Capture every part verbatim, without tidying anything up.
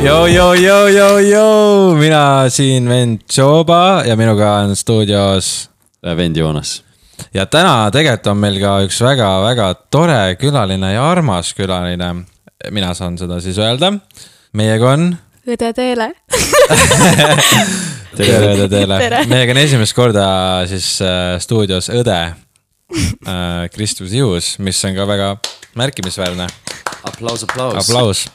Joo, joo, joo, joo, joo. Mina siin vend Joba ja minuga on stuudios vend Joonas. Ja täna tegelikult on meil ka üks väga-väga tore külaline ja armas külaline. Mina saan seda siis öelda. Meiega on Õde Teele. Tere, Õde Teele. Meiega on esimest korda siis stuudios õde Kristus Juhus, mis on ka väga märkimisväärne. Aplaus, aplaus. Aplaus.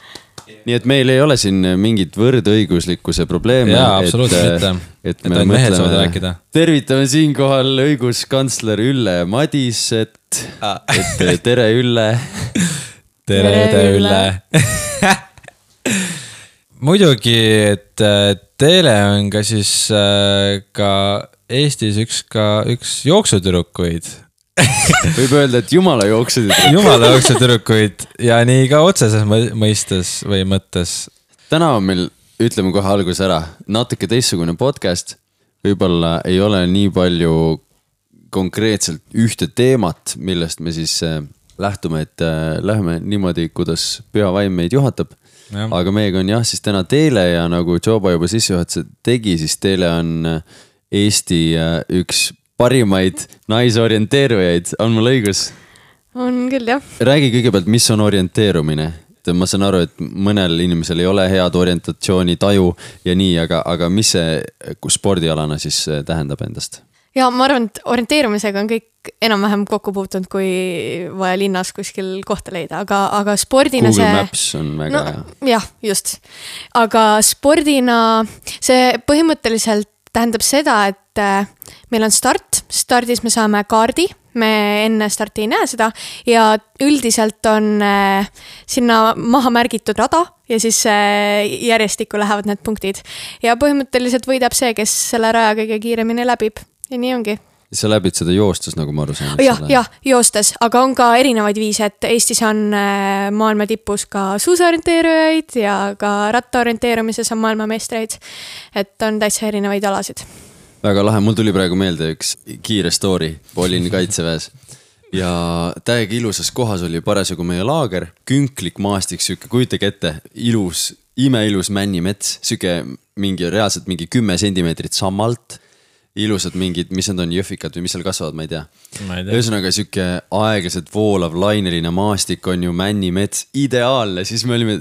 Nii et meil ei ole siin mingit võrdõiguslikkuse probleeme. Jaa, absoluutselt mitte. Et, et me mõtleme, tervitame siinkohal õiguskantsler Ülle Madiset. Ah. Et tere Ülle. Tere, tere Ülle. Muidugi, et Teele on ka siis ka Eestis üks, ka üks jooksutürukuid. Võib öelda, et jumala jooksutürukuid. Jumala jooksutürukuid ja nii ka otseses mõistes või mõttes. Täna on meil, ütleme kohe algus ära, natuke teistsugune podcast. Võib-olla ei ole nii palju konkreetselt ühte teemat, millest me siis lähtume, et lähme niimoodi, kuidas pühavaim meid juhatab. Ja. Aga meiega on jah, siis täna Teele ja nagu Joba juba sissejuhatuse tegi, siis Teele on Eesti üks parimaid naisorienteerujaid. On mul õigus? On küll, jah. Räägi kõigepealt, mis on orienteerumine. Ma saan aru, et mõnel inimesel ei ole head orientatsiooni taju ja nii, aga, aga mis see spordialana siis tähendab endast? Ja ma arvan, et orienteerumisega on kõik enam-vähem kokku puutunud, kui vaja linnas kuskil kohta leida, aga, aga spordina Google see... Maps on väga no, hea. Jah, just. Aga spordina see põhimõtteliselt tähendab seda, et meil on start, stardis me saame kaardi, me enne starti ei näe seda ja üldiselt on sinna maha märgitud rada ja siis järjestikku lähevad need punktid. Ja põhimõtteliselt võidab see, kes selle raja kõige kiiremini läbib ja nii ongi. Sa läbid seda joostes, nagu ma aru saan. Jah, jah, joostes, aga on ka erinevaid viise, et Eestis on maailma tipus ka suusaorienteerujaid ja ka rattaorienteerumises on maailmameistreid, et on täitsa erinevaid alasid. Väga lahe, mul tuli praegu meelde üks kiire story, olin kaitseväes ja täiega ilusas kohas oli parasjagu meie laager, künklik maastik, süke, kujutage ette, ilus, imeilus männimets, süke mingi, reaalselt mingi kümme sentimeetrit sammalt, ilusad mingid, mis need on, jõhvikad või mis seal kasvavad, ma ei tea. Ühesõnaga süke aeglaselt voolav laineline maastik on ju männimets, ideaalne, siis me olime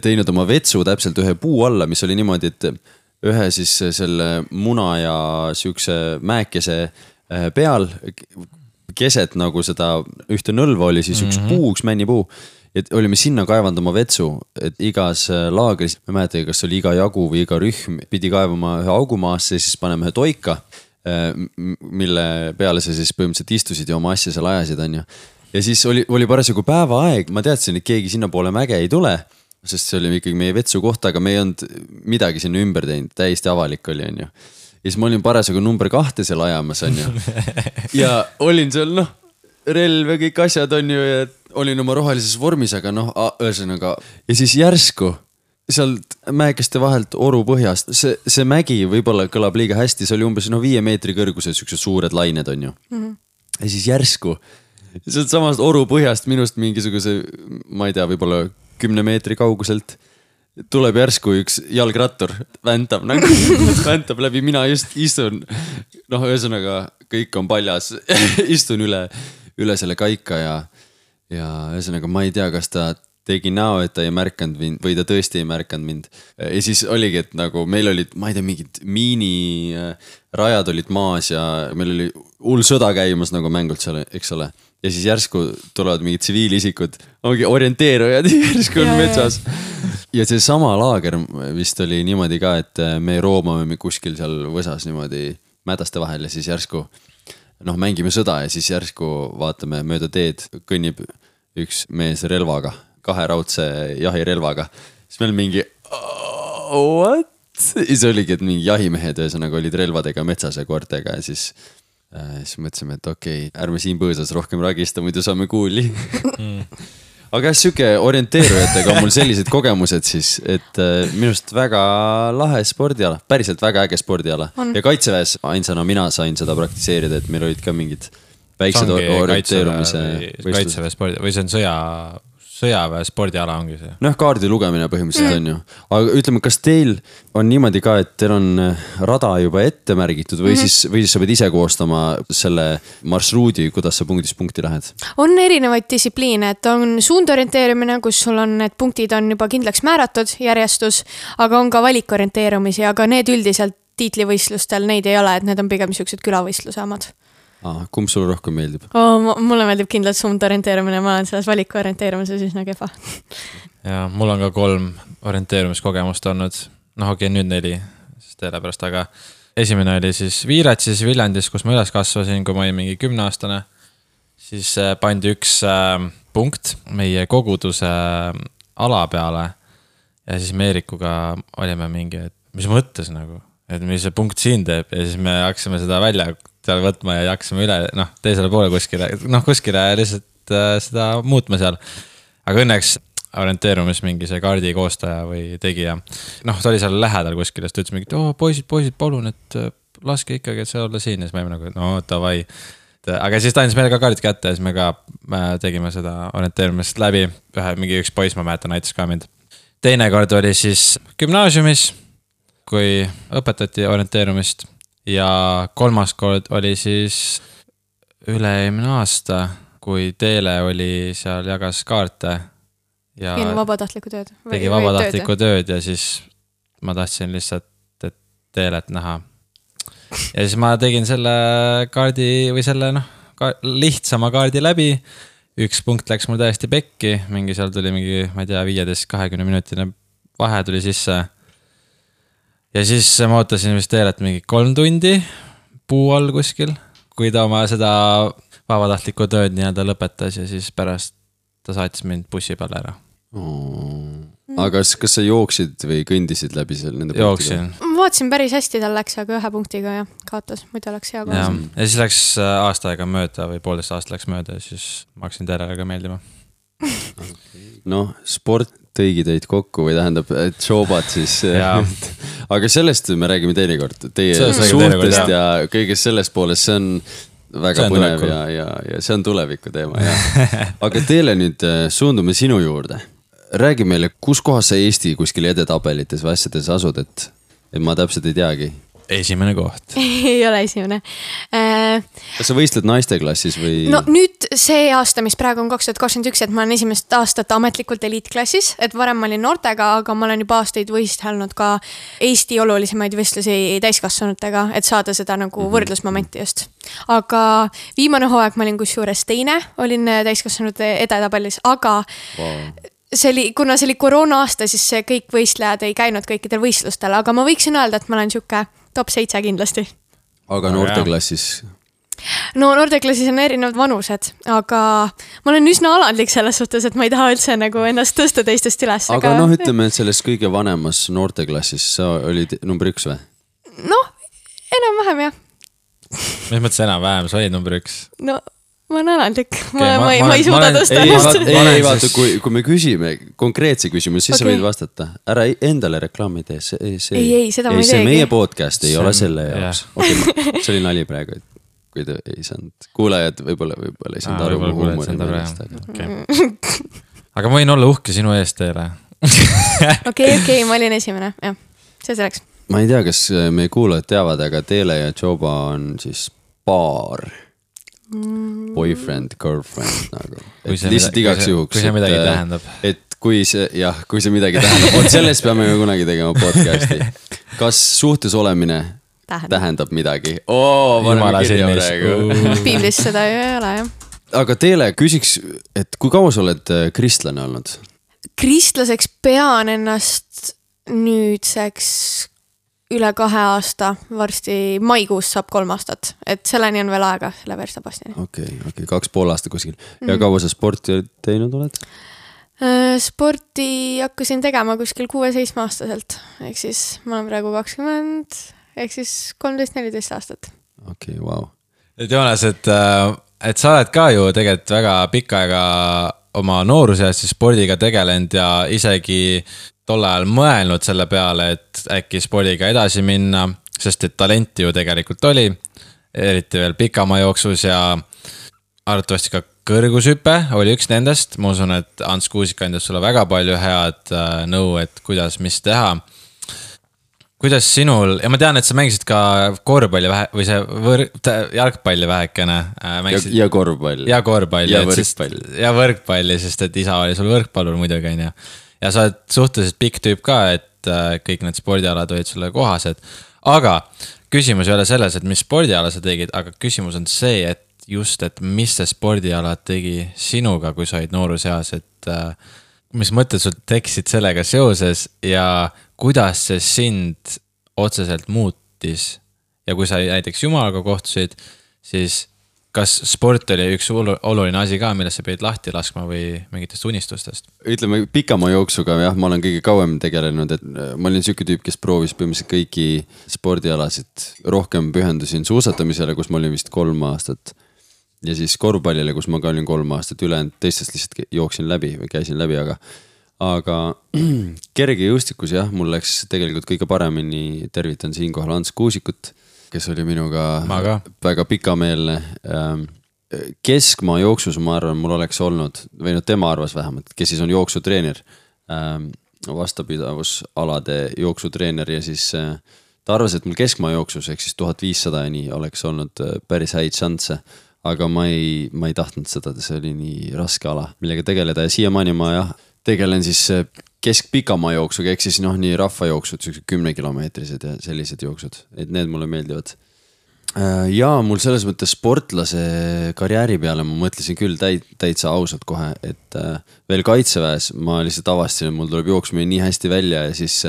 teinud oma vetsu täpselt ühe puu alla, mis oli niimoodi, et ühe siis selle muna ja sükse mäekese peal keset nagu seda ühte nõlva oli siis üks puu, üks männipuu. Et olime sinna kaevanud oma vetsu, et igas laagris, ma mäletan, kas oli iga jagu või iga rühm, pidi kaevama ühe augumaasse ja siis paneme ühe toika, mille peale sa siis põhimõtteliselt istusid ja oma asja seal ajasid. On ju. Ja siis oli, oli parasjagu päeva aeg, ma teadsin, et keegi sinna poole mäge ei tule, sest see oli ikkagi meie vetsu kohta, aga me ei olnud midagi sinna ümber teinud, täiesti avalik oli, on ju. Ja siis ma olin parasjagu number kahte seal ajamas, on ju. Ja olin seal, noh, relv ja kõik asjad on ju, ja olin oma rohelises vormis, aga noh, ühesõnaga. Ja siis järsku sealt mäekeste vahelt oru põhjast, see, see mägi võib-olla kõlab liiga hästi, see oli umbes no viie meetri kõrgused, siuksed suured lained on ju. Mm-hmm. Ja siis järsku sealt samast oru põhjast minust mingisuguse, ma ei tea, võib-olla kümne meetri kauguselt tuleb järsku üks jalgrattur, väntab nagu, väntab läbi, mina just istun, noh, ühesõnaga kõik on paljas, istun üle, üle selle kaika ja, ja ühesõnaga ma ei tea, kas ta tegi näo, et ta ei märkanud mind või ta tõesti ei märkanud mind. Ja siis oligi, et nagu meil olid, ma ei tea, mingid miinirajad olid maas ja meil oli hull sõda käimas nagu mängult seal, eks ole. Ja siis järsku tulevad mingid tsiviilisikud, ongi orienteerujad, järsku on metsas. Ja see sama laager vist oli niimoodi ka, et me roomame kuskil seal võsas niimoodi mädaste vahel ja siis järsku noh, mängime sõda ja siis järsku vaatame mööda teed, kõnnib üks mees relvaga, kahe raudse jahirelvaga. Siis meil mingi, oh, what? Siis oligi, et mingi jahimehed ühesõnaga olid relvadega metsas ja koortega ja siis siis mõtlesime, et okei, okay, ärme siin põõsas rohkem ragista, muidu saame kuuli. Aga süke orienteerujatega on mul sellised kogemused siis, et minust väga lahe spordiala, päriselt väga äge spordiala. On. Ja kaitseväes ainsana mina sain seda praktiseerida, et meil olid ka mingid väiksed orienteerumise kaitseväe spordi või see on sõja sõjaväe spordiala ongi see. Noh, kaardi lugemine põhimõtteliselt mm. on ju. Aga ütleme, kas teil on niimoodi ka, et teil on rada juba ette märgitud või, mm -hmm. siis, või siis sa pead ise koostama selle marsruudi, kuidas sa punktist punkti lähed? On erinevaid distsipliine, et on suundorienteerimine, kus sul on need punktid on juba kindlaks määratud, järjestus, aga on ka valikorienteerumisi, aga need üldiselt tiitlivõistlustel neid ei ole, et need on pigem siuksed külavõistluse omad. Ah, kumb sulle rohkem meeldib? Oh, mulle meeldib kindlalt suundorienteerumine, ma olen selles valikorienteerumises üsna kehva. Ja mul on ka kolm orienteerumiskogemust olnud. Noh, okei, nüüd neli, sest sellepärast, aga esimene oli siis Viiratsis Viljandis, kus ma üles kasvasin, kui ma olin mingi kümneaastane. Siis pandi üks punkt meie koguduse ala peale ja siis me Eerikuga olime mingi, et mis mõttes nagu, et mis see punkt siin teeb ja siis me hakkasime seda välja seal võtma ja hakkasime üle, noh, teisele poole kuskile, noh, kuskile lihtsalt äh, seda muutma seal. Aga õnneks orienteerumis mingi see kaardi koostaja või tegija. Noh, ta oli seal lähedal kuskile, ta ütles mingi, et oh, poisid, poisid, palun, et laske ikkagi, et see olla siin. Ja siis me olime nagu, no, davai. Aga siis ta andis meile ka kaardid kätte ja siis me ka tegime seda orienteerumist läbi. Ühe, mingi üks poiss, ma mäletan, näitas ka mind. Teine kord oli siis gümnaasiumis, kui õpetati orienteerumist. Ja kolmas kord oli siis üle-eelmine aasta, kui Teele oli seal jagas kaarte. Ja tegi vabatahtlikku tööd. Tegi vabatahtlikku tööd ja siis ma tahtsin lihtsalt et Teelet näha. Ja siis ma tegin selle kaardi või selle noh, ka, lihtsama kaardi läbi. Üks punkt läks mul täiesti pekki, mingi seal tuli mingi, ma ei tea, viieteist kahekümne minutine vahe tuli sisse. Ja siis ma ootasin vist Teelet mingi kolm tundi puu all kuskil, kui ta oma seda vabatahtlikku tööd nii-öelda lõpetas ja siis pärast ta saatis mind bussi peale ära. Oh. Aga kas, kas sa jooksid või kõndisid läbi seal nende Jooksin. punktiga? Ma vaatasin päris hästi, tal läks aga ühe punktiga ja kaotas, muidu läks hea kohas. Ja, ja siis läks aasta aega mööda või poolteist aasta läks mööda ja siis ma hakkasin Teelele ka meeldima. Noh, sport tõigi teid kokku või tähendab, et showbad siis. Aga sellest me räägime teinekord. Teie suhtest ja kõigest sellest poolest, see on väga on põnev ja, ja, ja see on tuleviku teema. Ja. Aga Teele nüüd suundume sinu juurde. Räägi meile, kus kohas sa Eesti kuskil edetabelites või asjades asud, et, et ma täpselt ei teagi. Esimene koht. Ei ole esimene. Äh, Kas sa võistled naiste klassis või? No nüüd see aasta, mis praegu on kaks tuhat kakskümmend üks, et ma olen esimest aastat ametlikult eliitklassis, et varem ma olin noortega, aga ma olen juba aastaid võistelnud ka Eesti olulisemaid võistlusi täiskasvanutega, et saada seda nagu mm-hmm. võrdlusmomenti just. Aga viimane hooaeg ma olin kusjuures teine, olin täiskasvanute edetabelis, aga wow. See oli, kuna see oli koroona aasta, siis see kõik võistlejad ei käinud kõikidel võistlustel, aga ma võiksin öelda, et ma olen siuke top seitse kindlasti. Aga noorteklassis? No noorteklassis on erinevad vanused, aga ma olen üsna alandlik selles suhtes, et ma ei taha üldse nagu ennast tõsta teistest üles. Aga, aga... noh, ütleme, et selles kõige vanemas noorteklassis sa olid number üks või? Noh, enam-vähem jah. Mis mõttes enam-vähem, sa olid number üks? No... Ma olen alandlik, ma, okay, ma, ma, ma ei suuda tõsta. Ei, vaata, ei vaata, kui, kui me küsime konkreetse küsimuse, siis okay. sa võid vastata. Ära endale reklaami tee. See, see, ei, ei, seda ma ei teegi. See meie podcast ei see ole selle jaoks. Okay, see oli nali praegu, kui te ei saanud. Kuulajad võib-olla, võib-olla ei saanud aru huumori meelest. Okay. Aga ma võin olla uhke sinu eest Teele. Okei, okei, ma olin esimene. Jah, see selleks. Ma ei tea, kas meie kuulajad teavad, aga Teele ja Joba on siis paar boyfriend, girlfriend nagu. Lihtsalt igaks juhuks. Kui see midagi et, tähendab. Et kui see, jah, kui see midagi tähendab. Oot, sellest peame kunagi tegema podcasti. Kas suhtes olemine tähendab, tähendab midagi? Oo, Jumala silmis. Piiblis seda ju ei ole, jah. Aga Teele, küsiks, et kui kaua sa oled kristlane olnud? Kristlaseks pean ennast nüüdseks üle kahe aasta, varsti maikuus saab kolm aastat, et selleni on veel aega, selle verstapastini. Okei, okay, okay, kaks pool aasta kuskil. Ja mm. kaua sa sporti teinud oled? Sporti hakkasin tegema kuskil kuue-seitsme aastaselt, ehk siis ma olen praegu kakskümmend, ehk siis kolmteist neliteist aastat. Okei, okay, vau. Wow. Et Joonas, et, et sa oled ka ju tegelikult väga pikka aega oma noorusest spordiga tegelenud ja isegi tol ajal mõelnud selle peale, et äkki spordiga edasi minna, sest et talenti ju tegelikult oli, eriti veel pikama jooksus ja arvatavasti ka kõrgushüpe oli üks nendest, ma usun, et Ants Kuusik andis sulle väga palju head nõu, et kuidas, mis teha. Kuidas sinul, ja ma tean, et sa mängisid ka korvpalli vähe, või see võr, jalgpalli vähekene. Mängisid, ja, ja korvpalli. Ja korvpalli. Ja võrkpalli. Ja võrkpalli, sest et isa oli sul võrkpallur muidugi. Ja, ja sa oled suhteliselt pikk tüüp ka, et kõik need spordialad olid sulle kohased. Aga küsimus ei ole selles, et mis spordiala sa tegid, aga küsimus on see, et just, et mis see spordiala tegi sinuga, kui sa olid nooruseas, et mis mõtted sul tekkisid sellega seoses ja kuidas see sind otseselt muutis ja kui sa näiteks jumalaga kohtusid, siis kas sport oli üks oluline asi ka, millest sa pidid lahti laskma või mingitest unistustest? Ütleme pikama jooksuga, jah, ma olen kõige kauem tegelenud, et ma olin siuke tüüp, kes proovis põhimõtteliselt kõiki spordialasid, rohkem pühendusin suusatamisele, kus ma olin vist kolm aastat ja siis korvpallile, kus ma ka olin kolm aastat ülejäänud, teistest lihtsalt jooksin läbi või käisin läbi, aga aga kerge jõustikus jah, mul läks tegelikult kõige paremini, tervitan siinkohal Ants Kuusikut, kes oli minuga väga pikameelne. Keskmaa jooksus ma arvan, mul oleks olnud, või no tema arvas vähemalt, kes siis on jooksutreener, vastapidavusalade jooksutreener ja siis ta arvas, et mul keskmaa jooksus, ehk siis tuhat viissada ja nii oleks olnud päris häid šansse. Aga ma ei, ma ei tahtnud seda, see oli nii raske ala, millega tegeleda ja siiamaani ma jah, tegelen siis keskpikamaa jooksuga, ehk siis noh, nii rahvajooksud, kümne kilomeetrised ja sellised jooksud, et need mulle meeldivad. Ja mul selles mõttes sportlase karjääri peale ma mõtlesin küll täid, täitsa ausalt kohe, et veel kaitseväes ma lihtsalt avastasin, et mul tuleb jooksmine nii hästi välja ja siis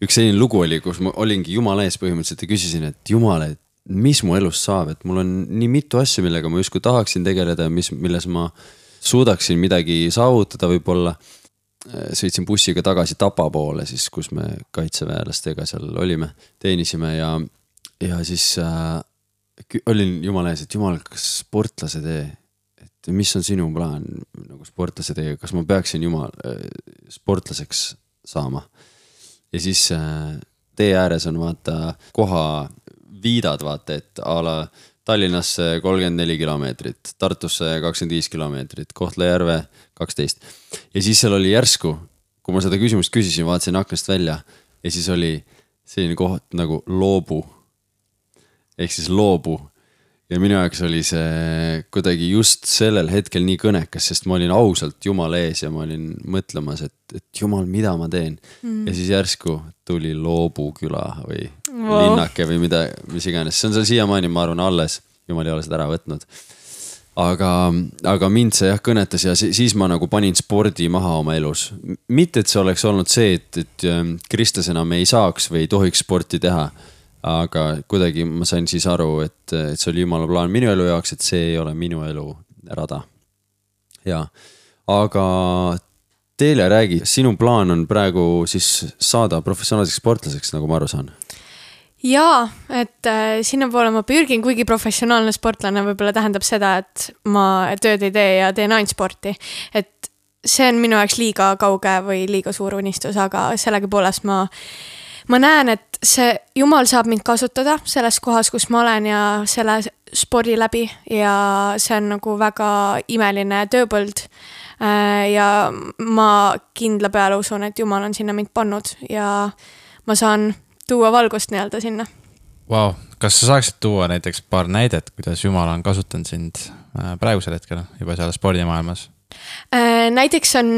üks selline lugu oli, kus ma olingi jumala ees põhimõtteliselt ja küsisin, et jumala, et mis mu elust saab, et mul on nii mitu asju, millega ma justkui tahaksin tegeleda ja mis, milles ma suudaksin midagi saavutada võib-olla. Sõitsin bussiga tagasi Tapa poole, siis, kus me kaitseväelastega seal olime, teenisime ja, ja siis äh, olin jumala ees, et jumal, kas sportlase tee, et mis on sinu plaan nagu sportlase tee, kas ma peaksin jumal äh, sportlaseks saama. Ja siis äh, tee ääres on vaata koha viidad, vaata, et ala Tallinnasse kolmkümmend neli kilomeetrit, Tartusse kakskümmend viis kilomeetrit, Kohtla-Järve kaksteist. Ja siis seal oli järsku, kui ma seda küsimust küsisin, vaatasin aknast välja ja siis oli selline koht nagu loobu. Ehk siis loobu. Ja minu jaoks oli see kuidagi just sellel hetkel nii kõnekas, sest ma olin ausalt Jumala ees ja ma olin mõtlemas, et, et Jumal, mida ma teen. Mm. Ja siis järsku tuli Loobu küla või wow. linnake või mida, mis iganes. See on seal siiamaani, ma arvan, alles. Jumal ei ole seda ära võtnud. Aga, aga mind see jah kõnetas ja siis ma nagu panin spordi maha oma elus. Mitte, et see oleks olnud see, et, et Kristus enam ei saaks või ei tohiks sporti teha. Aga kuidagi ma sain siis aru, et, et see oli Jumala plaan minu elu jaoks, et see ei ole minu elu rada. Ja, aga teile räägi, sinu plaan on praegu siis saada professionaalseks sportlaseks, nagu ma aru saan. Jaa, et äh, sinna poole ma pürgin, kuigi professionaalne sportlane võib-olla tähendab seda, et ma tööd ei tee ja teen ainult sporti. Et see on minu jaoks liiga kauge või liiga suur unistus, aga sellega poolest ma Ma näen, et see Jumal saab mind kasutada selles kohas, kus ma olen ja selle spordi läbi ja see on nagu väga imeline tööpõld ja ma kindla peale usun, et Jumal on sinna mind pannud ja ma saan tuua valgust nii-öelda sinna. Wow. Kas sa saaksid tuua näiteks paar näidet, kuidas Jumal on kasutanud sind praegusel hetkel juba seal spordimaailmas? Näiteks on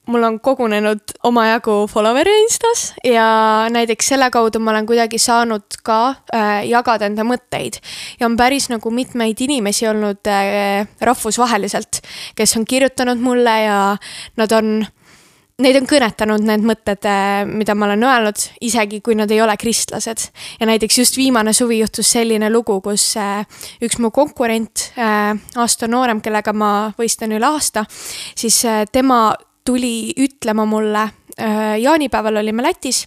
mul on kogunenud omajagu followeri Instas ja näiteks selle kaudu ma olen kuidagi saanud ka äh, jagada enda mõtteid. Ja on päris nagu mitmeid inimesi olnud äh, rahvusvaheliselt, kes on kirjutanud mulle ja nad on, neid on kõnetanud need mõtted, äh, mida ma olen öelnud, isegi kui nad ei ole kristlased. Ja näiteks just viimane suvi juhtus selline lugu, kus äh, üks mu konkurent, äh, aasta noorem, kellega ma võistlen üle aasta, siis äh, tema tuli ütlema mulle jaanipäeval olime Lätis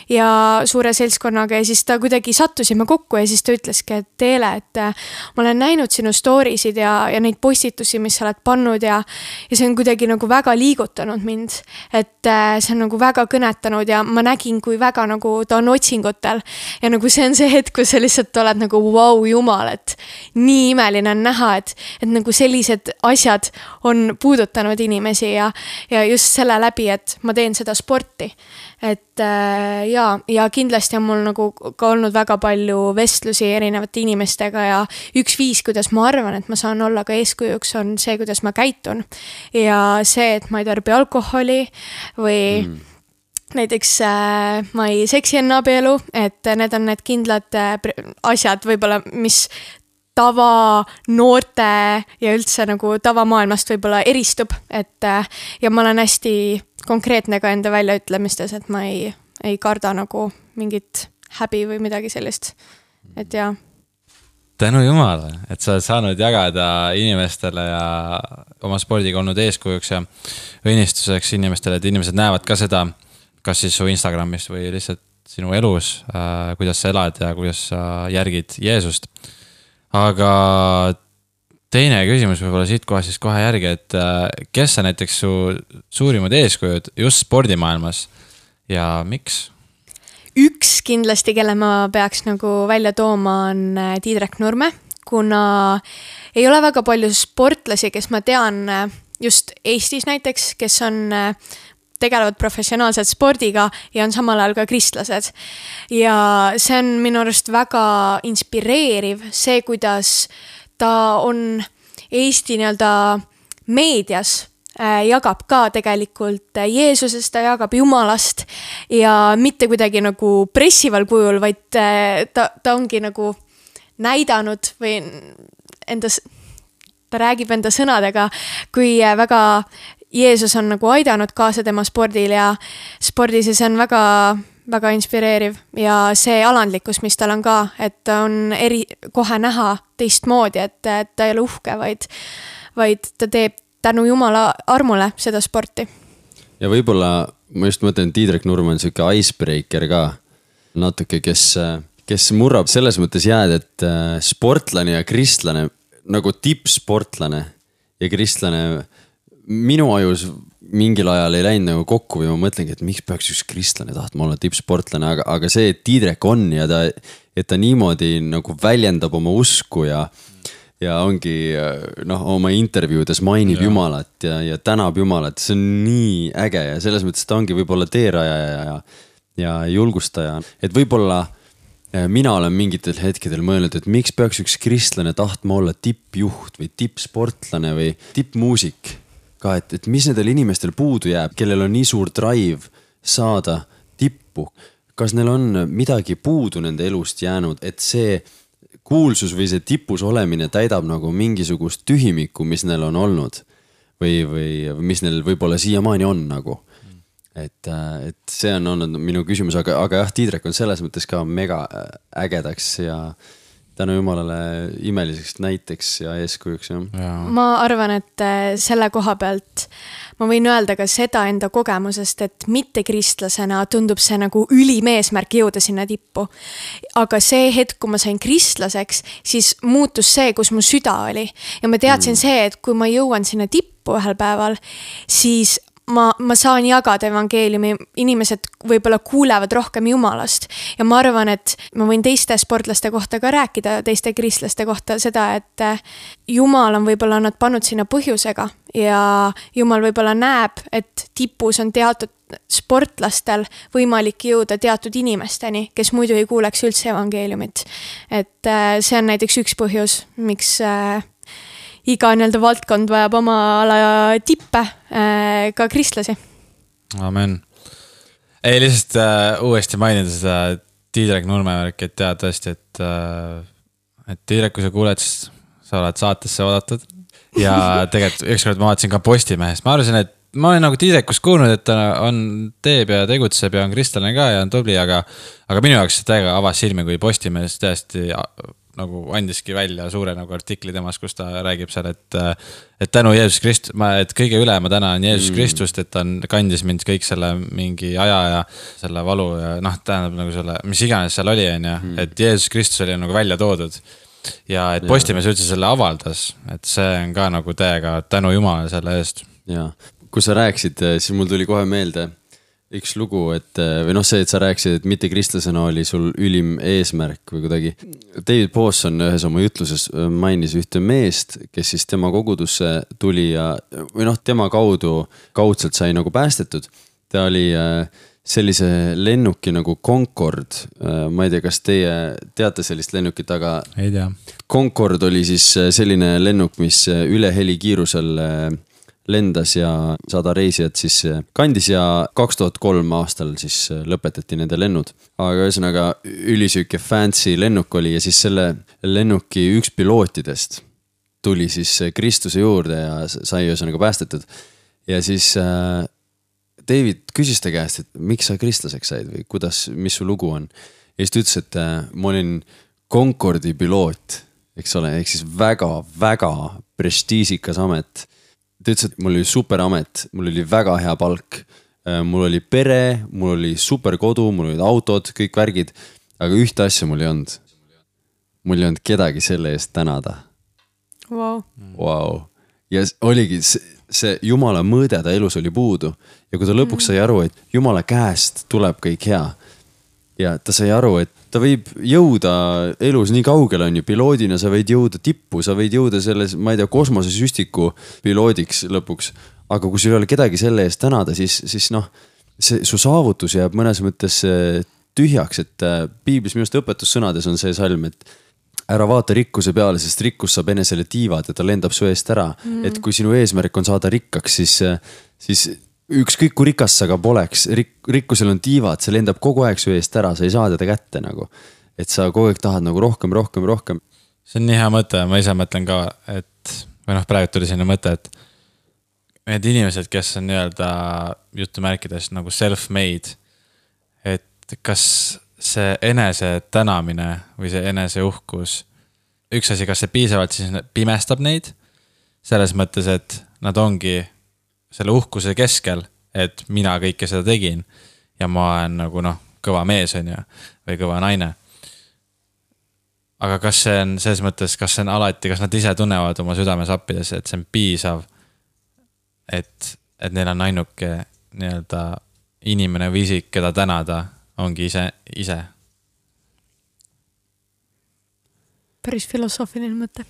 ja suure seltskonnaga ja siis ta kuidagi sattusime kokku ja siis ta ütleski, et Teele, et ma olen näinud sinu storysid ja, ja neid postitusi, mis sa oled pannud ja, ja see on kuidagi nagu väga liigutanud mind, et see on nagu väga kõnetanud ja ma nägin, kui väga nagu ta on otsingutel ja nagu see on see hetk, kus sa lihtsalt oled nagu vau, jumal, et nii imeline on näha, et, et nagu sellised asjad on puudutanud inimesi ja, ja just selle läbi, et ma teen seda sporti. Et äh, ja, ja kindlasti on mul nagu ka olnud väga palju vestlusi erinevate inimestega ja üks viis, kuidas ma arvan, et ma saan olla ka eeskujuks, on see, kuidas ma käitun. Ja see, et ma ei tarbi alkoholi või mm. näiteks äh, ma ei seksi enne abielu, et need on need kindlad äh, asjad võib-olla, mis tava noorte ja üldse nagu tavamaailmast võib-olla eristub, et ja ma olen hästi konkreetne ka enda väljaütlemistes, et ma ei, ei karda nagu mingit häbi või midagi sellist, et jaa. Tänu Jumala, et sa oled saanud jagada inimestele ja oma spordiga olnud eeskujuks ja õnnistuseks inimestele, et inimesed näevad ka seda, kas siis su Instagramis või lihtsalt sinu elus, äh, kuidas sa elad ja kuidas sa järgid Jeesust. Aga teine küsimus võib-olla siit kohe siis kohe järgi, et kes on näiteks su suurimad eeskujud just spordimaailmas ja miks? Üks kindlasti, kelle ma peaks nagu välja tooma, on Tiidrek Nurme, kuna ei ole väga palju sportlasi, kes ma tean just Eestis näiteks, kes on tegelevad professionaalselt spordiga ja on samal ajal ka kristlased. Ja see on minu arust väga inspireeriv, see, kuidas ta on Eesti nii-öelda meedias äh, jagab ka tegelikult Jeesusest, ta jagab Jumalast ja mitte kuidagi nagu pressival kujul, vaid äh, ta, ta ongi nagu näidanud või endas, ta räägib enda sõnadega, kui väga Jeesus on nagu aidanud kaasa tema spordil ja spordis ja see on väga, väga inspireeriv ja see alandlikkus, mis tal on ka, et on eri, kohe näha teistmoodi, et, et ta ei ole uhke, vaid, vaid ta teeb tänu Jumala armule seda sporti. Ja võib-olla, ma just mõtlen, Tiidrek Nurme on selline icebreaker ka natuke, kes, kes murrab selles mõttes jääd, et sportlane ja kristlane, nagu tippsportlane ja kristlane minu ajus mingil ajal ei läinud nagu kokku või ma mõtlengi, et miks peaks üks kristlane tahtma olla tippsportlane, aga, aga see, et Tiidrek on ja ta, et ta niimoodi nagu väljendab oma usku ja, ja ongi noh, oma intervjuudes mainib ja. Jumalat ja, ja tänab Jumalat, see on nii äge ja selles mõttes ta ongi võib-olla teeraja ja, ja, ja julgustaja, et võib-olla mina olen mingitel hetkedel mõelnud, et miks peaks üks kristlane tahtma olla tippjuht või tippsportlane või tippmuusik ka, et, et mis nendel inimestel puudu jääb, kellel on nii suur drive saada tippu. Kas neil on midagi puudu nende elust jäänud, et see kuulsus või see tipus olemine täidab nagu mingisugust tühimikku, mis neil on olnud või, või mis neil võib-olla siiamaani on nagu. Et, et see on olnud minu küsimus, aga, aga jah, Tiidrek on selles mõttes ka mega ägedaks ja tänu Jumalale imeliseks näiteks ja eeskujuks. Ja. Ma arvan, et selle koha pealt ma võin öelda ka seda enda kogemusest, et mitte kristlasena tundub see nagu ülimeesmärk jõuda sinna tippu. Aga see hetk, kui ma sain kristlaseks, siis muutus see, kus mu süda oli. Ja ma teadsin mm. see, et kui ma jõuan sinna tippu ühel päeval, siis ma, ma saan jagada evangeeliumi, inimesed võib-olla kuulevad rohkem Jumalast ja ma arvan, et ma võin teiste sportlaste kohta ka rääkida, teiste kristlaste kohta seda, et Jumal on võib-olla nad pannud sinna põhjusega ja Jumal võib-olla näeb, et tipus on teatud sportlastel võimalik jõuda teatud inimesteni, kes muidu ei kuuleks üldse evangeeliumit. Et see on näiteks üks põhjus, miks iga nii-öelda valdkond vajab oma ala tippe, äh, ka kristlasi. Amen. Ei, lihtsalt äh, uuesti mainida seda Tiidrek Nurme värk, et tead tõesti, et, äh, et Tiidrek, kui sa kuuled, sa oled saatesse oodatud. Ja tegelikult ükskord ma vaatasin ka Postimehest. Ma arvasin, et ma olen nagu Tiidrekust kuulnud, et ta on teeb ja tegutseb ja on kristlane ka ja on tubli, aga, aga minu jaoks täiega avas silmi, kui Postimehes täiesti nagu andiski välja suure nagu artikli temast, kus ta räägib seal, et et tänu Jeesus Kristus, ma, et kõige üle ma tänan Jeesus mm. Kristust, et ta kandis mind kõik selle mingi aja ja selle valu ja noh, tähendab nagu selle, mis iganes seal oli, on ja, mm. et Jeesus Kristus oli nagu välja toodud ja et Postimees üldse selle avaldas, et see on ka nagu täiega tänu Jumala selle eest. Ja, kui sa rääksid, siis mul tuli kohe meelde üks lugu, et või noh see, et sa rääksid, et mitte kristlasena oli sul ülim eesmärk või kuidagi. David Pawson ühes oma jutluses mainis ühte meest, kes siis tema kogudusse tuli ja või noh, tema kaudu kaudselt sai nagu päästetud. Ta oli sellise lennuki nagu Concorde, ma ei tea, kas teie teate sellist lennukit, aga ei tea. Concorde oli siis selline lennuk, mis üle helikiirusel lendas ja sada reisijat siis kandis ja kaks tuhat kolm aastal siis lõpetati nende lennud. Aga ühesõnaga ülisüke fancy lennuk oli ja siis selle lennuki üks pilootidest tuli siis Kristuse juurde ja sai ühesõnaga päästetud. Ja siis David küsis ta käest, et miks sa kristlaseks said või kuidas, mis su lugu on. Ja siis ta ütles, et ma olin Concordi piloot, eks ole, ehk siis väga, väga prestiisikas amet. Ta ütles, et mul oli super amet, mul oli väga hea palk, mul oli pere, mul oli super kodu, mul olid autod, kõik värgid, aga ühte asja mul ei olnud. Mul ei olnud kedagi selle eest tänada. Wow. Wow. Ja oligi see Jumala mõõde ta elus oli puudu ja kui ta lõpuks sai aru, et Jumala käest tuleb kõik hea ja ta sai aru, et ta võib jõuda elus nii kaugele on ju, piloodina sa võid jõuda tippu, sa võid jõuda selles, ma ei tea, kosmosesüstiku piloodiks lõpuks, aga kui sul ei ole kedagi selle eest tänada, siis, siis noh, see, su saavutus jääb mõnes mõttes tühjaks, et piiblis minust õpetussõnades on see salm, et ära vaata rikkuse peale, sest rikkus saab enesele tiivad ja ta lendab su eest ära. Mm. Et kui sinu eesmärk on saada rikkaks, siis, siis ükskõik kui rikas sa ka poleks, rik, rikkusel on tiivad, see lendab kogu aeg su eest ära, sa ei saa teda kätte nagu. Et sa kogu aeg tahad nagu rohkem, rohkem, rohkem. See on nii hea mõte, ma ise mõtlen ka, et või noh, praegu tuli selline mõte, et need inimesed, kes on nii-öelda jutumärkides nagu self-made, et kas see enese tänamine või see enese uhkus, üks asi, kas see piisavalt siis pimestab neid, selles mõttes, et nad ongi selle uhkuse keskel, et mina kõike seda tegin ja ma olen nagu noh, kõva mees on ja, või kõva naine. Aga kas see on selles mõttes, kas see on alati, kas nad ise tunnevad oma südames appides, et see on piisav, et, et neil on ainuke nii-öelda inimene või isik, keda tänada, ongi ise, ise. Päris filosoofiline mõte.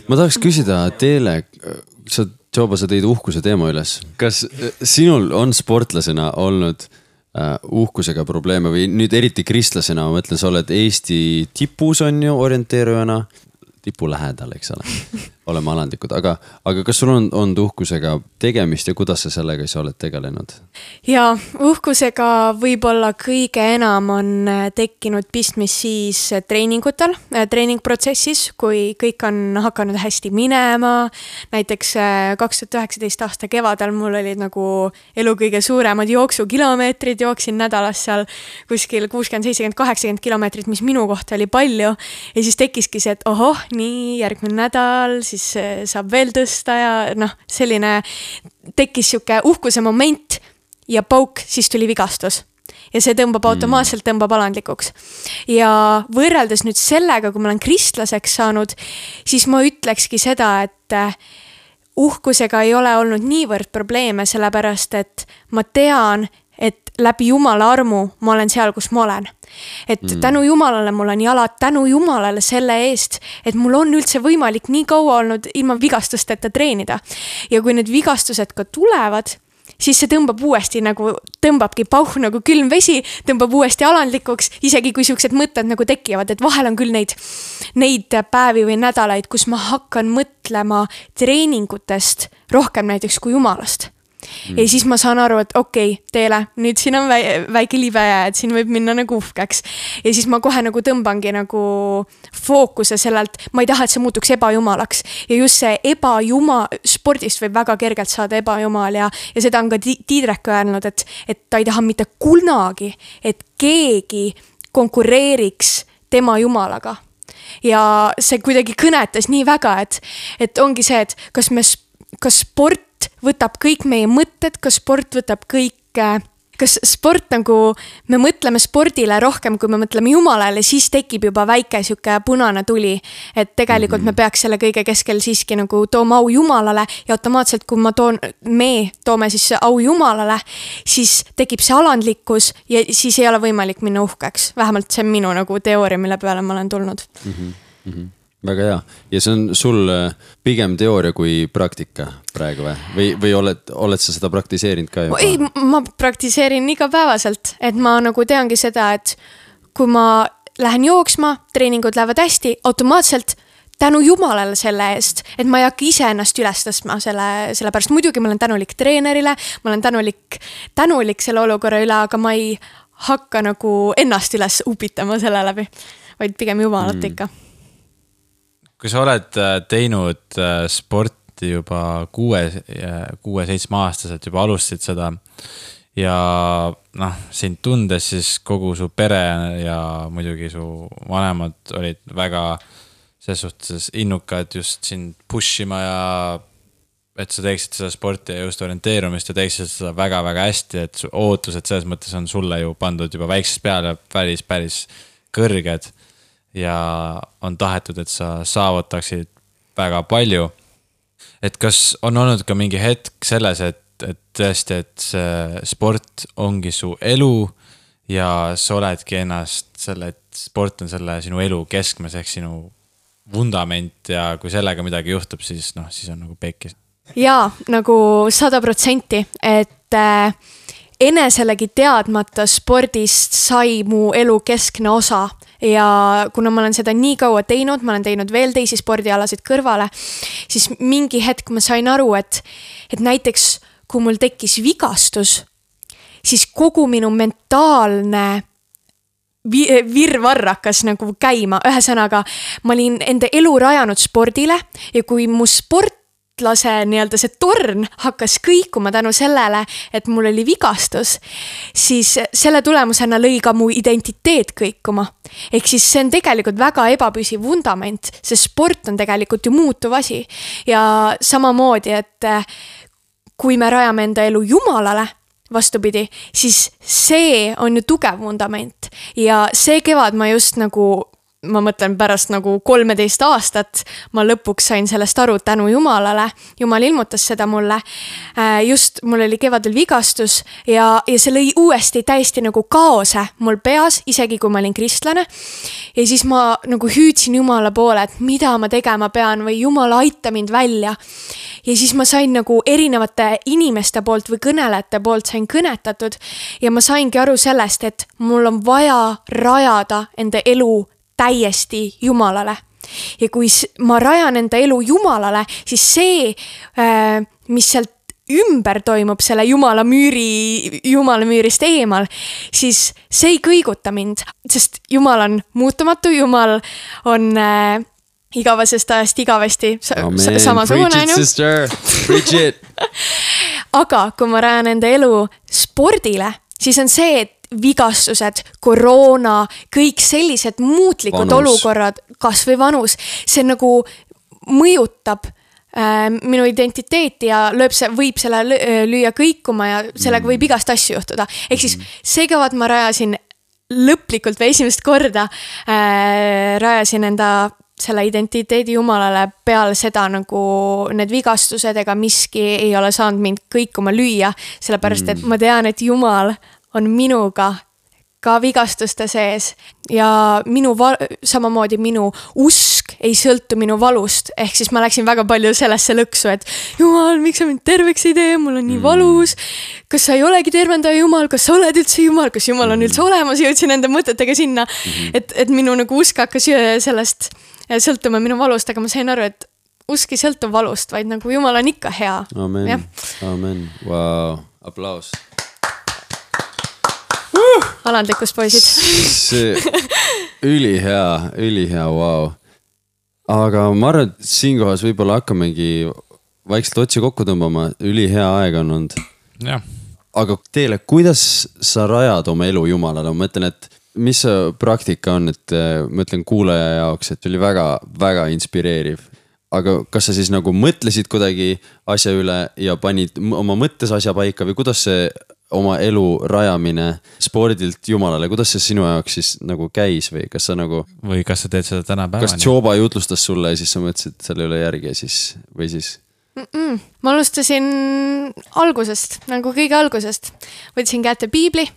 Ma tahaks küsida teile, sa, Joba, sa tõid uhkuse teema üles. Kas sinul on sportlasena olnud uh, uhkusega probleeme või nüüd eriti kristlasena, ma mõtlen, sa oled Eesti tipus on ju orienteerujana, tipu lähedal, eks ole, oleme alandlikud, aga, aga kas sul on, on uhkusega tegemist ja kuidas sa sellega sa oled tegelenud? Ja uhkusega võib-olla kõige enam on tekkinud pistmis siis treeningutel, treeningprotsessis, kui kõik on hakanud hästi minema. Näiteks kaks tuhat üheksateist aasta kevadel mul olid nagu elu kõige suuremad jooksukilomeetrid, jooksin nädalas seal kuskil kuuskümmend, seitsekümmend, kaheksakümmend kilomeetrit, mis minu kohta oli palju. Ja siis tekkiski see, et ohoh, nii järgmine nädal, siis saab veel tõsta ja noh, selline tekkis siuke uhkuse moment ja pauk, siis tuli vigastus. Ja see tõmbab automaatselt, tõmbab alandlikuks. Ja võrreldes nüüd sellega, kui ma olen kristlaseks saanud, siis ma ütlekski seda, et uhkusega ei ole olnud niivõrd probleeme, sellepärast, et ma tean, et läbi Jumala armu ma olen seal, kus ma olen. Et mm. tänu Jumalale mul on jalad, tänu Jumalale selle eest, et mul on üldse võimalik nii kaua olnud ilma vigastusteta treenida. Ja kui need vigastused ka tulevad, siis see tõmbab uuesti nagu, tõmbabki pauh nagu külm vesi, tõmbab uuesti alandlikuks, isegi kui siuksed mõtted nagu tekivad, et vahel on küll neid, neid päevi või nädalaid, kus ma hakkan mõtlema treeningutest rohkem näiteks kui Jumalast. Mm. Ja siis ma saan aru, et okei, okay, teele, nüüd siin on väike libeja, et siin võib minna nagu uhkeks. Ja siis ma kohe nagu tõmbangi nagu fookuse sellelt, ma ei taha, et see muutuks ebajumalaks. Ja just see ebajumal, spordist võib väga kergelt saada ebajumal ja, ja seda on ka Tiidrek öelnud, et, et ta ei taha mitte kunagi, et keegi konkureeriks tema Jumalaga. ja see kuidagi kõnetas nii väga, et, et ongi see, et kas me, kas sport võtab kõik meie mõtted, kas sport võtab kõik, kas sport nagu, me mõtleme spordile rohkem, kui me mõtleme Jumalale, siis tekib juba väike siuke punane tuli, et tegelikult mm-hmm. me peaks selle kõige keskel siiski nagu tooma au Jumalale ja automaatselt, kui ma toon, me toome siis au Jumalale, siis tekib see alandlikkus ja siis ei ole võimalik minna uhkeks. Vähemalt see on minu nagu teooria, mille peale ma olen tulnud. Mm-hmm. Mm-hmm. Väga hea. Ja see on sul pigem teooria kui praktika praegu või? Või, või oled, oled sa seda praktiseerinud ka juba? Ei, ma praktiseerin igapäevaselt, et ma nagu teangi seda, et kui ma lähen jooksma, treeningud lähevad hästi, automaatselt tänu Jumalale selle eest, et ma ei hakka ise ennast üles tõstma selle, selle pärast. Muidugi ma olen tänulik treenerile, ma olen tänulik, tänulik selle olukorra üle, aga ma ei hakka nagu ennast üles upitama selle läbi, vaid pigem Jumalat mm. ikka. Kui sa oled teinud sporti juba kuue, kuue, seitsme aastaselt, juba alustasid seda ja noh, sind tundes siis kogu su pere ja muidugi su vanemad olid väga selles suhtes innukad just sind pushima ja et sa teeksid seda sporti ja just orienteerumist ja teeksid seda väga-väga hästi, et ootused selles mõttes on sulle ju pandud juba väiksest peale päris, päris kõrged. Ja on tahetud, et sa saavutaksid väga palju. Et kas on olnud ka mingi hetk selles, et, et tõesti, et see sport ongi su elu ja sa oledki ennast selle, et sport on selle sinu elu keskmes ehk sinu vundament ja kui sellega midagi juhtub, siis noh, siis on nagu pekis. Jaa, nagu sada protsenti, et äh, eneselegi teadmata spordist sai mu elu keskne osa ja kuna ma olen seda nii kaua teinud, ma olen teinud veel teisi spordialasid kõrvale, siis mingi hetk ma sain aru, et, et näiteks kui mul tekkis vigastus, siis kogu minu mentaalne virvarr hakkas nagu käima. Ühesõnaga, ma olin enda elu rajanud spordile ja kui mu sport lase nii-öelda see torn hakkas kõikuma tänu sellele, et mul oli vigastus, siis selle tulemusena lõi ka mu identiteet kõikuma. Ehk siis see on tegelikult väga ebapüsiv vundament, see sport on tegelikult ju muutuv asi. Ja samamoodi, et kui me rajame enda elu Jumalale, vastupidi, siis see on ju tugev vundament. Ja see kevad ma just nagu ma mõtlen pärast nagu kolmeteist aastat, ma lõpuks sain sellest aru tänu Jumalale. Jumal ilmutas seda mulle. Just mul oli kevadel vigastus ja, ja see lõi uuesti täiesti nagu kaose mul peas, isegi kui ma olin kristlane. Ja siis ma nagu hüüdsin Jumala poole, et mida ma tegema pean või Jumala aita mind välja. Ja siis ma sain nagu erinevate inimeste poolt või kõnelejate poolt sain kõnetatud ja ma saingi aru sellest, et mul on vaja rajada enda elu täiesti Jumalale. Ja kui ma rajan enda elu Jumalale, siis see, mis sealt ümber toimub selle Jumala müüri, Jumala müürist eemal, siis see ei kõiguta mind, sest Jumal on muutumatu, Jumal on äh, igavesest ajast igavesti Amen. Samasugune. Preach it, sister. Preach it. Aga kui ma rajan enda elu spordile, siis on see, et vigastused, koroona, kõik sellised muutlikud vanus. Olukorrad, kas või vanus, see nagu mõjutab äh, minu identiteeti ja lööb see, võib selle lüüa kõikuma ja sellega võib igast asju juhtuda. Ehk siis see kevad ma rajasin lõplikult või esimest korda äh, rajasin enda selle identiteedi Jumalale peale seda nagu need vigastused ega miski ei ole saanud mind kõikuma lüüa, sellepärast et ma tean, et Jumal on minuga ka vigastuste sees ja minu val- samamoodi minu usk ei sõltu minu valust, ehk siis ma läksin väga palju sellesse lõksu, et Jumal, miks sa mind terveks ei tee, mul on nii valus, kas sa ei olegi tervendaja Jumal, kas sa oled üldse Jumal, kas Jumal on üldse olemas, jõudsin enda mõtetega sinna, et, et minu nagu usk hakkas sellest sõltuma minu valust, aga ma sain aru, et usk ei sõltu valust, vaid nagu Jumal on ikka hea. Amen, amen, wow, aplaus. Alandlikus poisid. See ülihea, ülihea, wow. Aga ma arvan, et siinkohas võib-olla hakkamegi vaikselt otsi kokku tõmbama, ülihea aeg on olnud. Ja. Aga teile, kuidas sa rajad oma elu Jumalale? Ma mõtlen, et mis see praktika on, et ma ütlen kuulaja jaoks, et oli väga, väga inspireeriv. Aga kas sa siis nagu mõtlesid kuidagi asja üle ja panid oma mõttes asja paika või kuidas see oma elu rajamine spordilt jumalale, kuidas see sinu jaoks siis nagu käis või kas sa nagu... Või kas sa teed seda täna päevani? Kas Joba jutlustas sulle ja siis sa mõtlesid selle üle järgi ja siis, või siis? Mm-mm. Ma alustasin algusest, nagu kõige algusest. Võtsin kätte piibli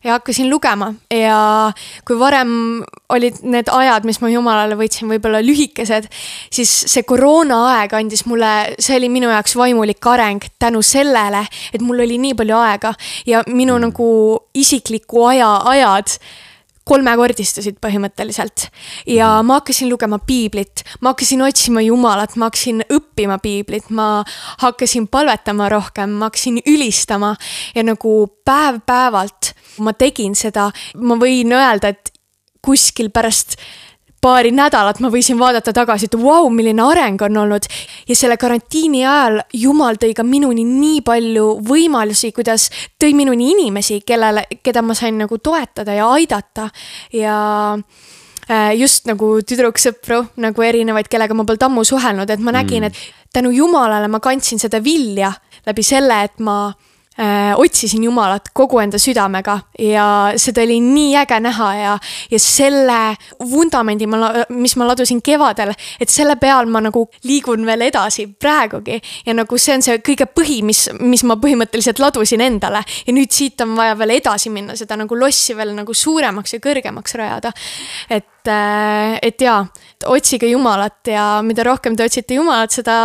ja hakkasin lugema ja kui varem olid need ajad, mis ma jumalale võtsin võib-olla lühikesed, siis see koroona aeg andis mulle, see oli minu jaoks vaimulik areng tänu sellele, et mul oli nii palju aega ja minu mm. nagu isikliku aja ajad kolmekordistusid põhimõtteliselt ja ma hakkasin lugema piiblit, ma hakkasin otsima jumalat, ma hakkasin õppima piiblit, ma hakkasin palvetama rohkem, ma hakkasin ülistama ja nagu päev päevalt ma tegin seda, ma võin öelda, et kuskil pärast paari nädalat ma võisin vaadata tagasi, et vau, milline areng on olnud ja selle karantiini ajal Jumal tõi ka minuni nii palju võimalusi, kuidas tõi minuni inimesi, kellele, keda ma sain nagu toetada ja aidata ja just nagu tüdruksõpru, nagu erinevaid, kellega ma polnud ammu suhelnud, et ma nägin, et tänu Jumalale ma kandsin seda vilja läbi selle, et ma Äh, otsisin Jumalat kogu enda südamega ja seda oli nii äge näha ja, ja selle vundamendi, ma, mis ma ladusin kevadel, et selle peal ma nagu liigun veel edasi praegugi ja nagu see on see kõige põhi, mis, mis ma põhimõtteliselt ladusin endale ja nüüd siit on vaja veel edasi minna, seda nagu lossi veel nagu suuremaks ja kõrgemaks rajada. Et, äh, et jaa, otsige Jumalat ja mida rohkem te otsite Jumalat, seda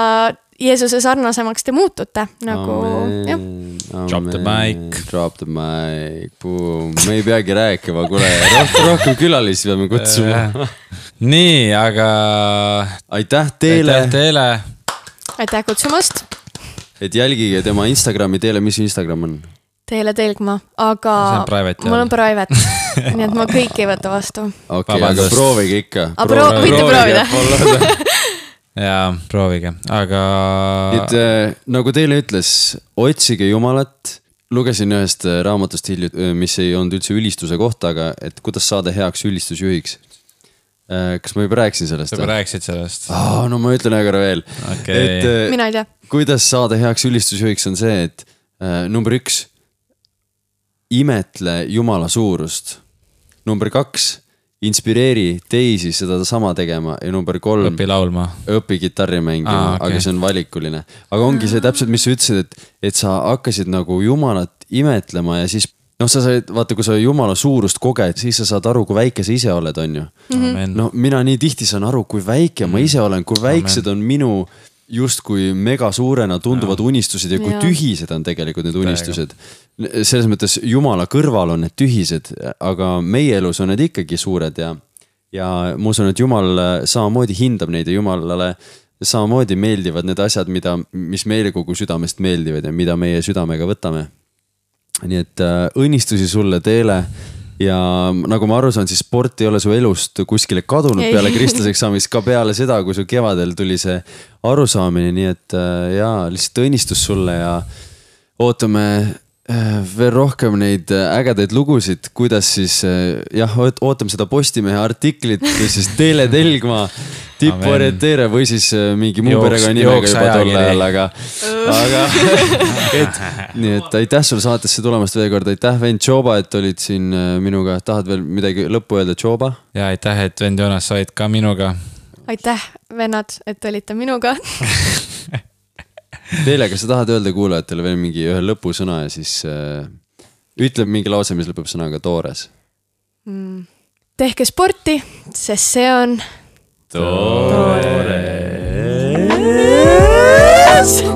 Jeesuse sarnasemaks te muutute nagu, jah. Drop the mic. Drop the mic. Boom. Me ei peagi rääkima, kuule, rohkem, rohkem külalisi peame kutsuma. Nii, aga... Aitäh teile. Aitäh teile. Aitäh kutsumast. Et jälgige tema Instagrami teele, mis Instagram on? Teele Telgma, aga mul on private, nii et ma kõik ei võta vastu. Okei, okay, aga proovige ikka. Aga pro võite proovida. Jaa, proovige, aga... Et äh, nagu teile ütles, otsige Jumalat. Lugesin ühest raamatust hilju, mis ei olnud üldse ülistuse kohta, aga et kuidas saada heaks ülistusjuhiks. Äh, kas ma juba rääksin sellest? Juba rääksid sellest. Oh, no ma ütlen aga veel. Okay. Et, äh, Mina ei tea. Kuidas saada heaks ülistusjuhiks on see, et äh, number üks, imetle Jumala suurust. Number kaks, inspireeri teisi seda sama tegema ja number kolm õpi laulma, õpi kitarri mängima, ah, okay. Aga see on valikuline, aga ongi see täpselt, mis sa ütlesid, et, et sa hakkasid nagu Jumalat imetlema ja siis noh, sa said, vaata, kui sa Jumala suurust koged, siis sa saad aru, kui väike sa ise oled, on ju. Mm-hmm. No mina nii tihti saan aru, kui väike ma ise olen, kui väiksed on minu justkui mega suurena tunduvad ja. Unistused ja kui ja. Tühised on tegelikult need unistused. Selles mõttes Jumala kõrval on need tühised, aga meie elus on need ikkagi suured ja, ja ma usun, et Jumal samamoodi hindab neid ja Jumalale samamoodi meeldivad need asjad, mida, mis meile kogu südamest meeldivad ja mida meie südamega võtame. Nii et äh, õnnistusi sulle teele. Ja nagu ma aru saan, siis sport ei ole su elust kuskile kadunud ei. Peale kristlaseks saamist, ka peale seda, kui su kevadel tuli see arusaamine, nii et jaa, lihtsalt õnnistus sulle ja ootame veel rohkem neid ägedaid lugusid, kuidas siis, jah, ootame seda Postimehe artiklit, siis Teele Telgma tipporienteere või siis mingi muu perega nimega juba tolle ajal, aga, aga et, nii et aitäh sulle saatesse tulemast veel kord, aitäh vend Joba, et olid siin minuga, tahad veel midagi lõppu öelda Joba? Ja aitäh, et vend Jonas olid ka minuga. Aitäh vennad, et olite minuga. Teile, kas sa tahad öelda kuulajatele veel mingi ühe lõpusõna ja siis äh, ütleb mingi lause, mis lõpeb sõnaga toores? Mm. Tehke sporti, sest see on toores. Toores.